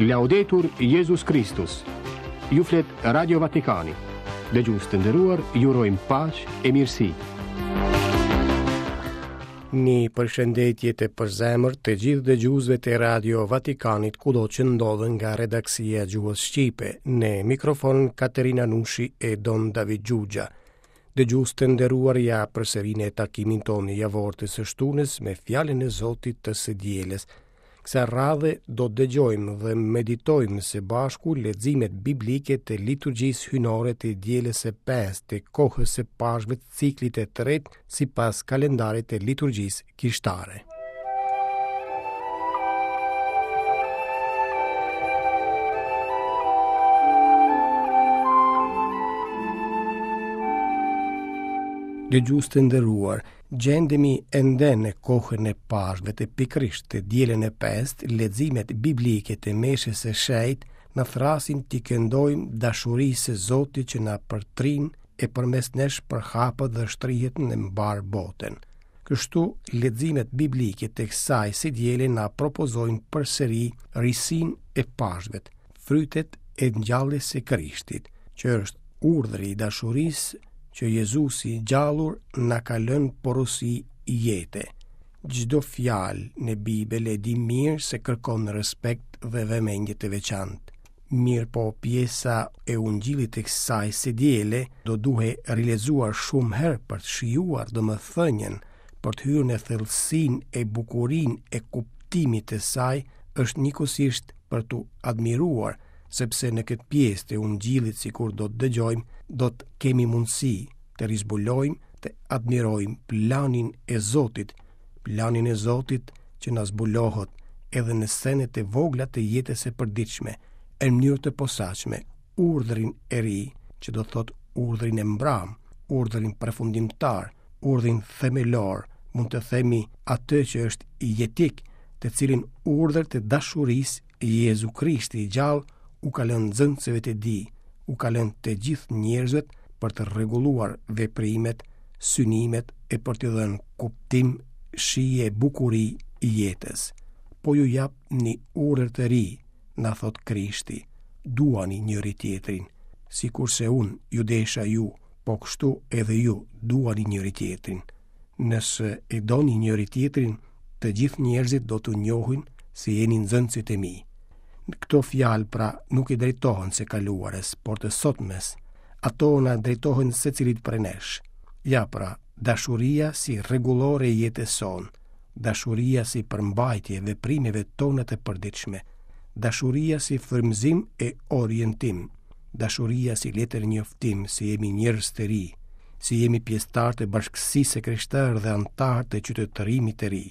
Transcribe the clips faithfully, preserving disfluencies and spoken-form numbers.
Laudetur Jezus Kristus. Ju flet Radio Vatikani. Dëgjues të nderuar, ju urojmë paqe e mirësi. Një përshëndetje të përzemërt të gjithë dëgjuesve të Radio Vatikanit kudo që ndodhen nga redaksia e gjuhës shqipe, në mikrofon Katerina Nushi e Don David Xhuxha. Dëgjues të nderuar, ja përsëri në takimin tonë javor të së shtunës me fjalën e Zotit të së dielës. Kësaj radhe do të dëgjojmë dhe meditojmë së bashku leximet biblike të liturgjisë hyjnore të dielës së pestë të kohës së Pashkëve të ciklit të tretë sipas kalendarit të liturgjisë kishtare. Dëgjues të nderuar, gjendemi ende në kohën e Pashkëve të pikërisht të dielën e pestë, leximet biblike të meshës së shenjtë na thërrasin t'i këndojmë dashurisë së Zotit që na përtrin e përmes nesh përhapet dhe shtrihet në mbarë botën. Kështu, leximet biblike të kësaj së diele na propozojnë përsëri risinë e Pashkëve, frytet e ngjalljes së Krishtit, që është urdhri i dashurisë që Jezusi i gjallur na ka lënë porosi jete. Çdo fjalë në Bibël e di mirë se kërkon respekt dhe vëmendje të veçantë. Mirë po pjesa e ungjillit të kësaj së diele do duhej rilexuar shumë herë për të shijuar domethënien, për të hyrë në thellësinë e bukurinë e kuptimit të saj, është njëkohësisht për t'u admiruar, sepse në këtë pjesë të ungjillit, sikur do të dëgjojmë, do të kemi mundësi të rizbulojmë, të admirojmë planin e Zotit, planin e Zotit që na zbulohet edhe në senet e vogla të jetës së përditshme, në mënyrë të posaçme, urdhrin e ri, që do thotë urdhrin e mbram, urdhrin përfundimtar, urdhrin themelor, mund të themi atë që është jetik, të cilin urdhër të dashurisë Jezu Krishti i gjallë u ka lënë nxënësve të tij, u ka lënë të gjithë njerëzve për të rregulluar veprimet, synimet e për t'i dhënë kuptim, shije e bukuri jetës. Po ju jap një urdhër të ri, na thot Krishti, duani njëri tjetrin, sikurse unë ju desha ju, po kështu edhe ju duani njëri tjetrin. Nëse e doni njëri tjetrin, të gjithë njerëzit do t'ju njohin se jeni nxënësit e mi. Këto fjalë pra nuk i drejtohen se kaluarës, por të sotmes. Ato na drejtohen secilit prej nesh. Ja pra, dashuria si rregullore e jetës sonë, dashuria si përmbajtje e veprimeve tona të përditshme, dashuria si frymëzim e orientim, dashuria si letër njoftim se jemi njerëz të ri, si jemi pjesëtar të bashkësisë së krishterë dhe anëtar të qytetërimit të ri.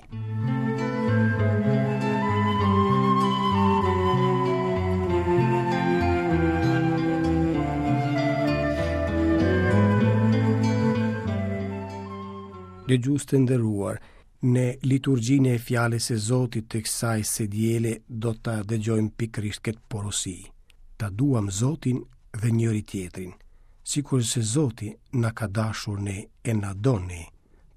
Dëgjues të nderuar, në liturgjinë e fjalës së Zotit të kësaj së diele do ta dëgjojmë pikërisht këtë porosi. Ta duam Zotin dhe njëri tjetrin, sikurse Zoti na ka dashur ne e na don ne.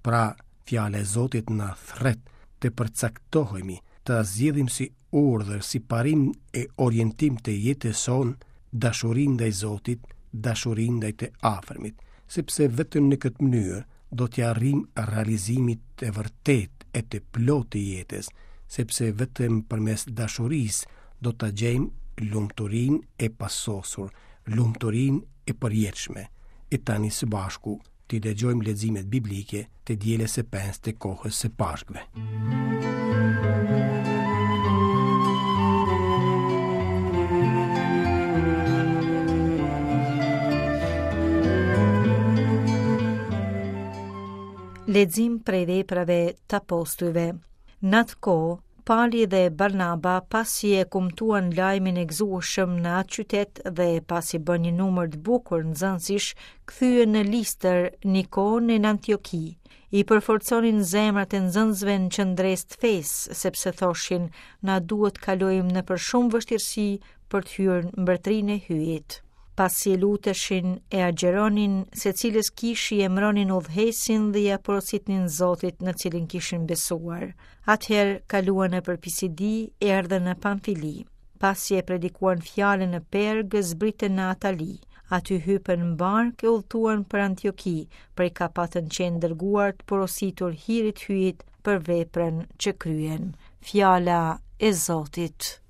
Pra, fjala e Zotit na thret të përcaktohemi, të zgjedhim si urdhër, si parim e orientim të jetës sonë, dashurinë ndaj Zotit, dashurinë ndaj të afërmit, sepse vetëm në këtë mënyrë do t'ia arrijmë realizimit të vërtet e të plotë të jetës, sepse vetëm përmes dashurisë do ta gjejmë lumturinë e pasosur, lumturinë e përjetshme. E tani së bashku t'i dëgjojmë leximet biblike të dielës së pestë të kohës së Pashkëve. Lexim prej veprave të apostujve. Në atë kohë, Pali dhe Barnaba, pasi e kumtuan lajmin e gëzueshëm në atë qytet dhe pasi bën një numër të bukur nxënësish, kthyen në Listër, Nikon e në Antioki. I përforconin zemrat e nxënësve në qëndresë të fesë, sepse thoshin, na duhet kalojmë nëpër shumë vështirësi për të hyrë në mbretërinë e Hyjit. Pasi e luteshin e agjeronin, secilës kishë i emëronin udhëheqësin dhe ia porositnin Zotit në cilin kishin besuar. Atëherë kaluan nëpër Pisidi, erdhën në Pamfili. Pasi e predikuan fjalën në Pergë, zbritën në Atali. Aty hypën në barkë e udhëtuan për Antioki, prej ka patën qenë dërguar të porositur hirit Hyjit për veprën që kryen. Fjala e Zotit.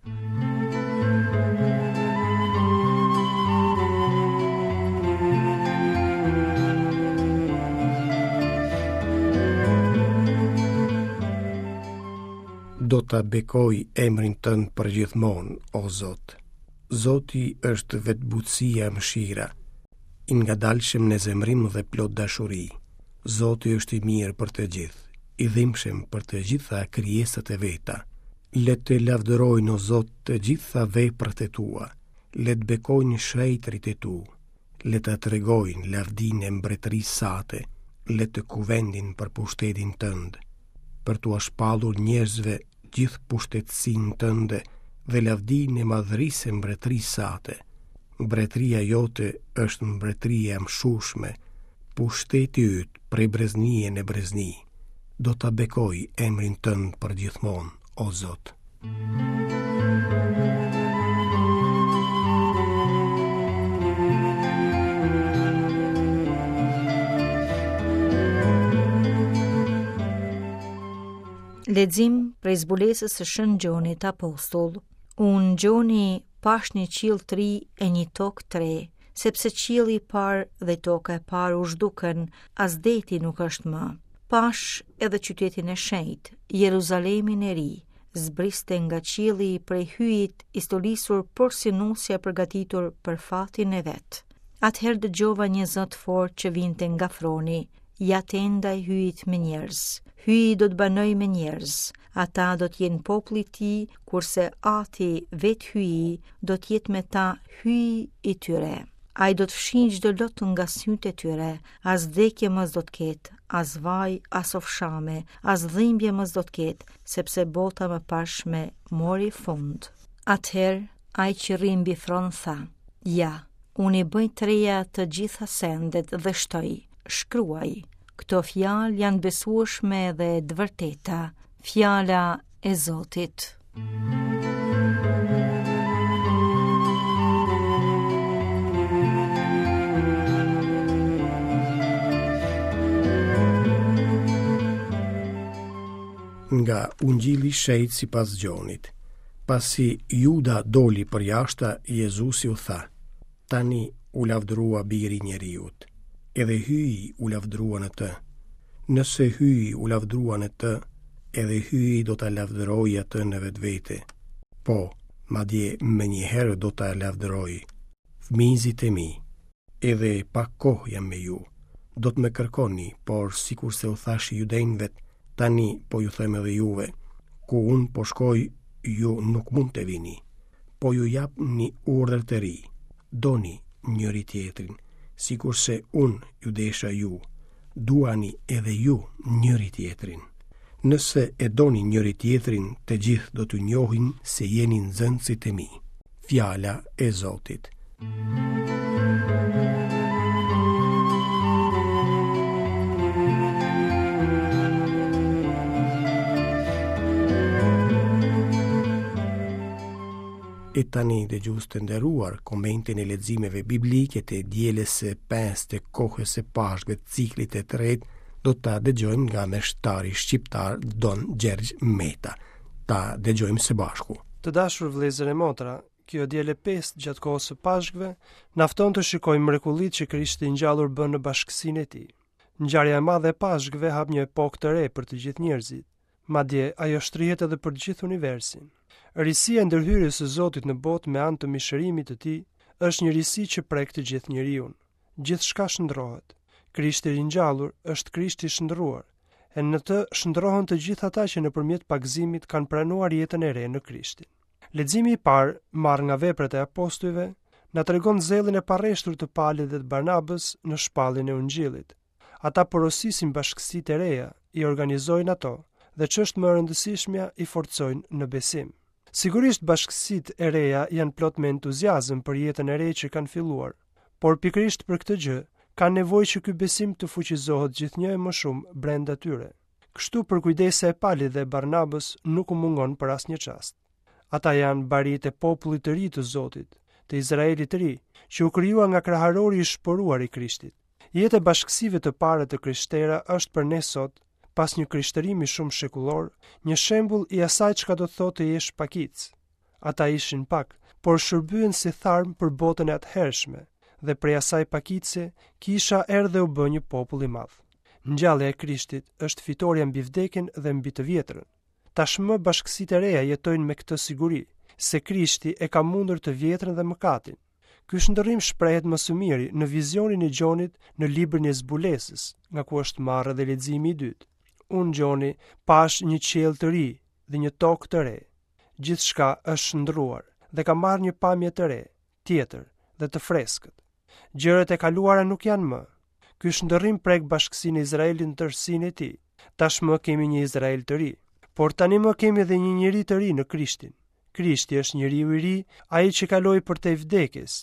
Do ta bekoj emrin tënd përgjithmonë, o Zot. Zoti është vetë butësia e mëshira, i ngadalshëm në zemërim dhe plot dashuri. Zoti është i mirë për të gjithë, i dhimbshëm për të gjitha krijesat e veta. Le të lavdërojnë, o Zot, të gjitha veprat e tua, le të bekojnë shenjtërit e tu, le të tregojnë lavdinë e mbretërisë sate, le të kuvendin për pushtetin tënd, për t'ua shpallur njerëzve gjithë pushtetësinë tënde dhe lavdinë e madhërisë së mbretërisë sate. Mbretëria jote është mbretëria e amshueshme, pushteti yt prej breznie në brezni. Do ta bekoj emrin tënd përgjithmonë, o Zot. Lexim prej zbulesës së Shën Gjonit Apostull. Unë, Gjoni, pash një qiell të ri e një tokë të re, sepse qielli i parë dhe toka e parë u zhdukën, as deti nuk është më. Pash edhe qytetin e shenjtë, Jeruzalemin e ri, zbriste nga qielli prej Hyjit i stolisur porsi nusja e përgatitur për fatin e vet. Atëherë dëgjova një zë të fortë që vinte nga froni, ja tenda e Hyjit me njerëz. Hyji do të banojë me njerëz, ata do të jenë populli i tij, kurse Ati, vetë Hyji, do të jetë me ta Hyji i tyre. Ai do të fshijë çdo lot nga sytë e tyre, as vdekje më s'do të ketë, as vaj, as ofshame, as dhimbje më s'do të ketë, sepse bota e mëparshme mori fund. Atëherë, ai që rri mbi fron tha, ja, unë i bëj të reja të gjitha sendet dhe shtoi, shkruaj, këto fjalë janë besueshme dhe të vërteta, fjala e Zotit. Nga Ungjilli i Shenjtë sipas Gjonit. Pasi Juda doli përjashta, Jezusi u tha: Tani u lavdërua biri i njeriut, edhe Hyji u lavdërua në të. Nëse Hyji u lavdërua në të, edhe Hyji do ta lavdërojë atë në vetvete. Po, madje menjëherë do ta lavdërojë. Fëmijëzit e mi, edhe pak kohë jam me ju. Do të më kërkoni, por sikurse u thashë judenjve, tani po ju them edhe juve, ku unë po shkoj, ju nuk mund të vini. Po ju jap një urdhër të ri. Doni njëri tjetrin, sikurse unë ju desha ju, duani edhe ju njëri tjetrin. Nëse e doni njëri tjetrin, të gjithë do t'ju njohin se jeni nxënësit e mi. Fjala e Zotit. E tani, dëgjues të nderuar, komentin e leximeve biblike të dielës së pestë të kohës së Pashkëve të ciklit të tretë do ta dëgjojmë nga meshtari shqiptar Don Gjergj Meta. Ta dëgjojmë së bashku. Të dashur vëllezër e motra, kjo diel e pestë gjatë kohës së Pashkëve na fton të shikojmë mrekullitë që Krishti i ngjallur bën në bashkësinë e tij. Ngjarja e madhe e Pashkëve hap një epokë të re për të gjithë njerëzit. Madje ajo shtrihet edhe për gjithë universin. Risia e ndërhyrjes së Zotit në botë me anë të mishërimit të tij është një risi që prek të gjithë njeriun. Gjithçka shndrohet. Krishti i ringjallur është Krishti i shndruar, e në të shndrohen të gjithë ata që nëpërmjet pagëzimit kanë pranuar jetën e re në Krishtin. Leximi i parë, marrë nga veprat e apostujve, na tregon zellin e parreshtur të Palit dhe të Barnabës në shpalljen e Ungjillit. Ata porosisin bashkësitë e reja, i organizojnë ato dhe ç'është më e rëndësishmja, i forcojnë në besim. Sigurisht bashkësitë e reja janë plot me entuziazëm për jetën e re që kanë filluar, por pikërisht për këtë gjë kanë nevojë që ky besim të fuqizohet gjithnjë e më shumë brenda tyre. Kështu përkujdesja e Palit dhe Barnabës nuk u mungon për asnjë çast. Ata janë barinjtë e popullit të ri të Zotit, të Izraelit të ri, që u krijua nga kraharori i shporuar i Krishtit. Jeta e bashkësive të para të krishtera është për ne sot, pas një krishtërimi shumë shekullor, një shembull i asaj çka do të thotë të jesh pakicë. Ata ishin pak, por shërbyen si tharm për botën e atëhershme, dhe prej asaj pakice kisha erdhi u bë një popull i madh. Ngjallja e Krishtit është fitorja mbi vdekjen dhe mbi të vjetrën. Tashmë bashkësitë e reja jetojnë me këtë siguri, se Krishti e ka mundur të vjetrën dhe mëkatin. Ky shndërrim shprehet më së miri në vizionin e Gjonit në librin e zbulesës, nga ku është marrë edhe leximi i dytë. Unë Gjoni pash një qiell të ri dhe një tokë të re. Gjithçka është shndruar dhe ka marrë një pamje të re, tjetër dhe të freskët. Gjërat e kaluara nuk janë më. Ky shndërrim prek bashkësinë e Izraelit në tërësinë e tij. Tashmë kemi një Izrael të ri, por tani më kemi edhe një njeri të ri në Krishtin. Krishti është njeriu i ri, ai që kaloi përtej vdekjes,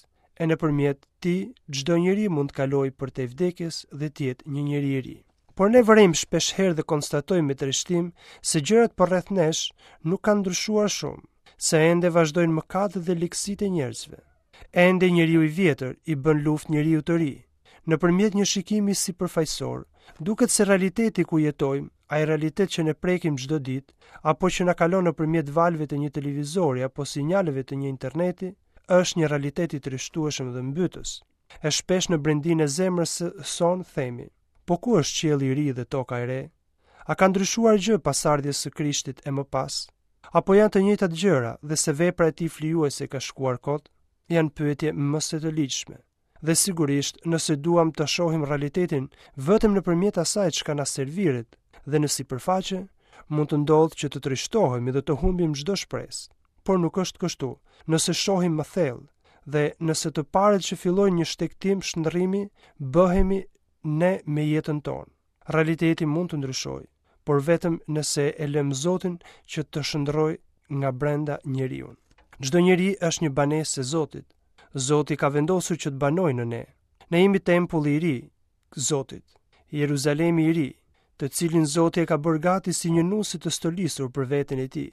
e nëpërmjet tij çdo njeri mund të kalojë përtej vdekjes dhe të jetë një njeri i ri. Por ne vërejmë shpesh herë dhe konstatojmë me trishtim se gjërat përreth nesh nuk kanë ndryshuar shumë, se ende vazhdojnë mëkatet dhe ligësitë e njerëzve. Ende njeriu i vjetër i bën luftë njeriu të ri. Nëpërmjet një shikimi sipërfaqësor, duket se realiteti ku jetojmë, ai realitet që ne prekim çdo ditë, apo që na kalon nëpërmjet valëve të një televizori apo sinjaleve të një interneti, është një realitet i trishtueshëm dhe mbytës. E shpesh në brendinë e zemrës sonë themi, po ku është qielli i ri dhe toka e re? A ka ndryshuar gjë pas ardhjes së Krishtit e më pas? Apo janë të njëjtat gjëra dhe se vepra e tij flijuese ka shkuar kot? Janë pyetje më se të ligjshme. Dhe sigurisht, nëse duam të shohim realitetin vetëm nëpërmjet asaj çka na serviret dhe në sipërfaqe, mund të ndodhë që të trishtohemi dhe të humbim çdo shpresë. Por nuk është kështu. Nëse shohim më thellë dhe nëse të parët që fillojnë një shtegtim shndërrimi, bëhemi ne me jetën tonë. Realiteti mund të ndryshojë, por vetëm nëse e lëm Zotin që të shndërrojë nga brenda njeriun. Çdo njeri është një banesë e Zotit. Zoti ka vendosur që të banojë në ne. Ne jemi tempulli i ri, Zotit, Jeruzalemi i ri, të cilin Zoti e ka bërë gati si një nuse të stolisur për veten e tij.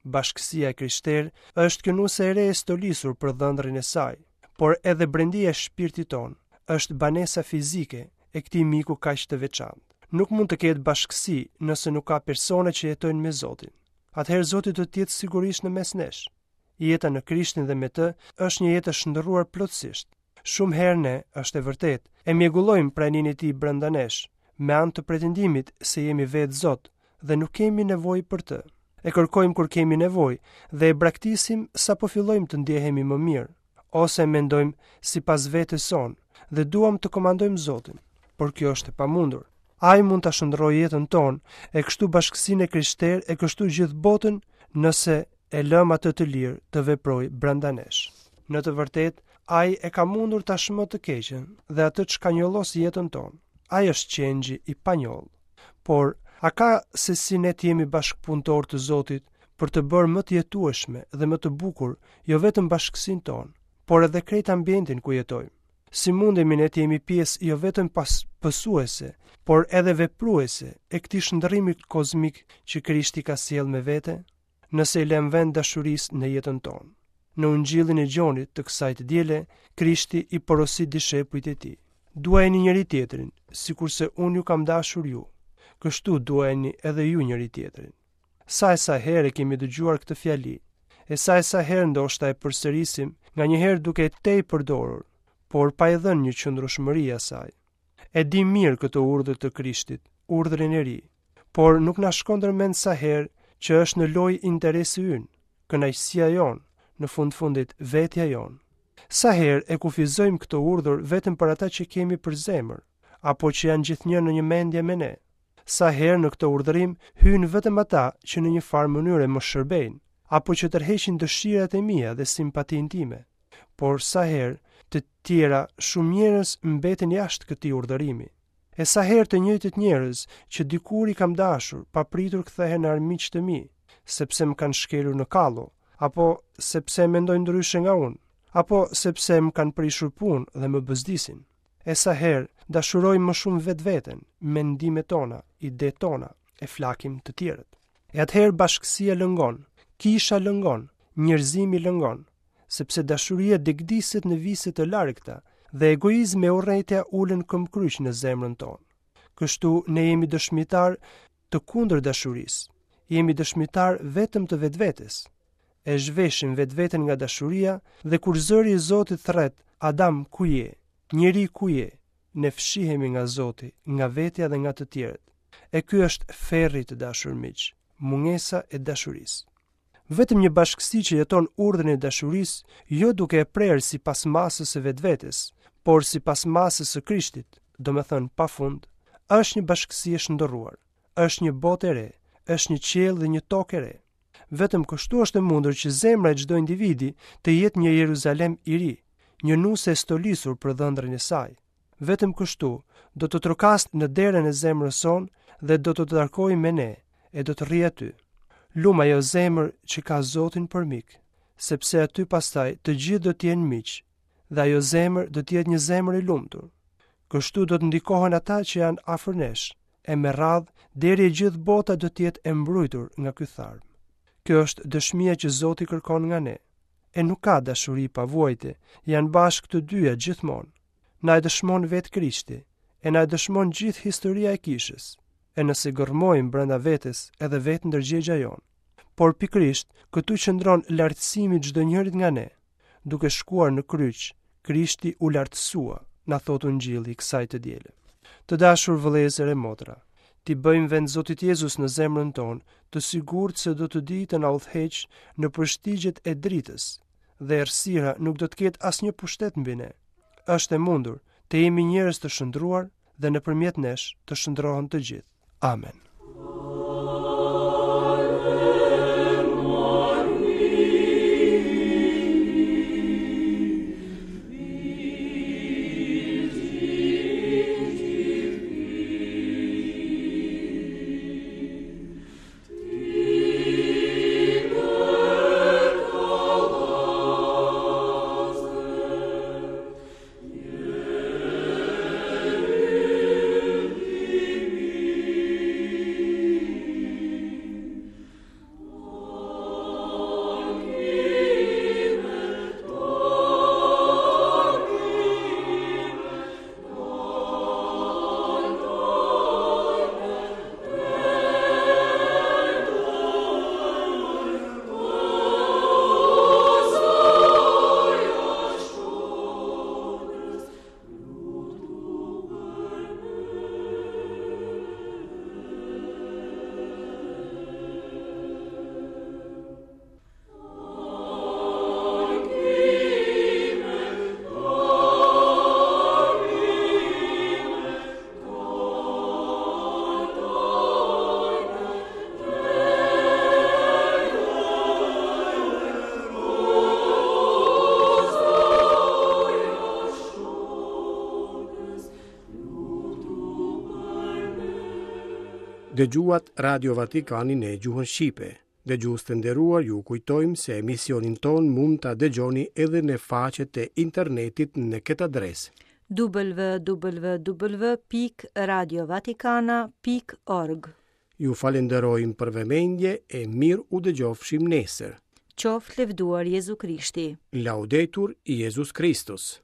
Bashkësia e krishterë është kjo nuse e re e stolisur për dhëndrin e saj, por edhe brendia e shpirtit ton është banesa fizike e këtij miku kaq të veçantë. Nuk mund të ketë bashkësi nëse nuk ka persona që jetojnë me Zotin. Atëherë Zoti do të jetë sigurisht në mes nesh. Jeta në Krishtin dhe me të është një jetë e shndërruar plotësisht. Shumë herë ne, është e vërtetë, e mjegullojmë praninë e tij brenda nesh, me anë të pretendimit se jemi vetë Zot dhe nuk kemi nevojë për të. E kërkojmë kur kemi nevojë dhe e braktisim sapo fillojmë të ndjehemi më mirë, ose mendojmë sipas vetes sonë dhe duam të komandojmë Zotin, por kjo është e pamundur. Ai mund ta shndërrojë jetën tonë, e kështu bashkësinë e krishterë, e kështu gjithë botën, nëse e lëm atë të lirë të veprojë brenda nesh. Në të vërtetë, ai e ka mundur tashmë të keqen dhe atë çka njollos jetën tonë. Ai është qengji i panjollë. Por, a ka se si ne të jemi bashkëpunëtor të Zotit për të bërë më të jetueshme dhe më të bukur jo vetëm bashkësinë tonë, por edhe krejt ambientin ku jetojmë? Si mundemi ne të jemi pjesë jo vetëm pas pësuese, por edhe vepruese e këtij shndërrimi kozmik që Krishti ka sjellë me vete, nëse i lëm vend dashurisë në jetën tonë. Në Ungjillin e Gjonit të kësaj të diele, Krishti i porosit dishepujt e tij. Duajeni njëri tjetrin, sikurse unë ju kam dashur ju. Kështu duajeni edhe ju njëri tjetrin. Sa e sa herë kemi dëgjuar këtë fjali, e sa e sa herë ndoshta e përsërisim, nganjëherë duke e tej përdorur, por pa i dhënë një qëndrueshmëri asaj. E di mirë këtë urdhër të Krishtit, urdhrin e ri, por nuk na shkon ndërmend sa herë që është në lojë interesi ynë, kënaqësia jonë, në fund fundit vetja jonë. Sa herë e kufizojmë këtë urdhër vetëm për ata që kemi për zemër, apo që janë gjithnjë në një mendje me ne. Sa herë në këtë urdhërim hyjnë vetëm ata që në një farë mënyre më shërbejnë, apo që tërheqin dëshirat e mia dhe simpatinë time. Por sa herë të tjera shumë njerëz mbeten jashtë këtij urdhërimi. E sa herë të njëjtët njerëz që dikur i kam dashur, papritur kthehen në armiq të mi, sepse më kanë shkelur në kallo, apo sepse mendojnë ndryshe nga unë, apo sepse më kanë prishur punë dhe më bëzdisin. E sa herë dashurojmë më shumë vetveten, mendimet tona, idetë tona, e flakim të tjerët. E atëherë bashkësia lëngon, kisha lëngon, Njerëzimi lëngon, sepse dashuria degdiset në vise të largëta dhe egoizmi e urrejtja ulen këmbkryq në zemrën tonë. Kështu ne jemi dëshmitar të kundër dashurisë. Jemi dëshmitar vetëm të vetvetes. E zhveshim vetveten nga dashuria dhe kur zëri i Zotit thret, Adam, ku je? Njeri, ku je? Ne fshihemi nga Zoti, nga vetja dhe nga të tjerët. E ky është ferri, të dashur miq, mungesa e dashurisë. Vetëm një bashkësi që jeton urdhrin e dashurisë, jo duke e prerë sipas masës së vetvetes, por sipas masës së Krishtit, domethënë pafund, është një bashkësi e shndërruar, është një botë e re, është një qiell dhe një tokë e re. Vetëm kështu është e mundur që zemra e çdo individi të jetë një Jeruzalem i ri, një nuse e stolisur për dhëndrin e saj. Vetëm kështu do të trokasë në derën e zemrës sonë dhe do të takojë me ne e do të rrijë aty. Lum ajo zemër që ka Zotin për mik, sepse aty pastaj të gjithë do të jenë miq dhe ajo zemër do të jetë një zemër e lumtur. Kështu do të ndikohen ata që janë afër nesh, e me radhë deri e gjithë bota do të jetë e mbrujtur nga ky tharm. Kjo është dëshmia që Zoti kërkon nga ne. E nuk ka dashuri pa vuajtje, janë bashkë të dyja gjithmonë. Na e dëshmon vetë Krishti, e na e dëshmon gjithë historia e kishës, e nëse gërmojmë brenda vetes edhe vetë ndërgjegja jonë. Por pikërisht këtu qëndron lartësimi i çdo njërit nga ne. Duke shkuar në kryq, Krishti u lartësua, na thotë Ungjilli i kësaj të diele. Të dashur vëllezër e motra, ti bëjmë vend Zotit Jezus në zemrën tonë, të sigurt se do të dijë të na udhëheq në përshtigjet e dritës, dhe errësira nuk do të ketë asnjë pushtet mbi ne. Është e mundur të jemi njerëz të shndruar dhe nëpërmjet nesh të shndrohen të gjithë. Amen. Dëgjuat Radio Vatikanin në gjuhën shqipe. Dëgjues të nderuar, ju kujtojmë se emisionin ton mund ta dëgjoni edhe në faqet e internetit në këtë adresë: w w w pikë radiovatikana pikë org. Ju falenderojmë për vëmendje e mirë u dëgjofshim nesër. Qoftë lëvduar Jezu Krishti. Laudetur Jezus Christus.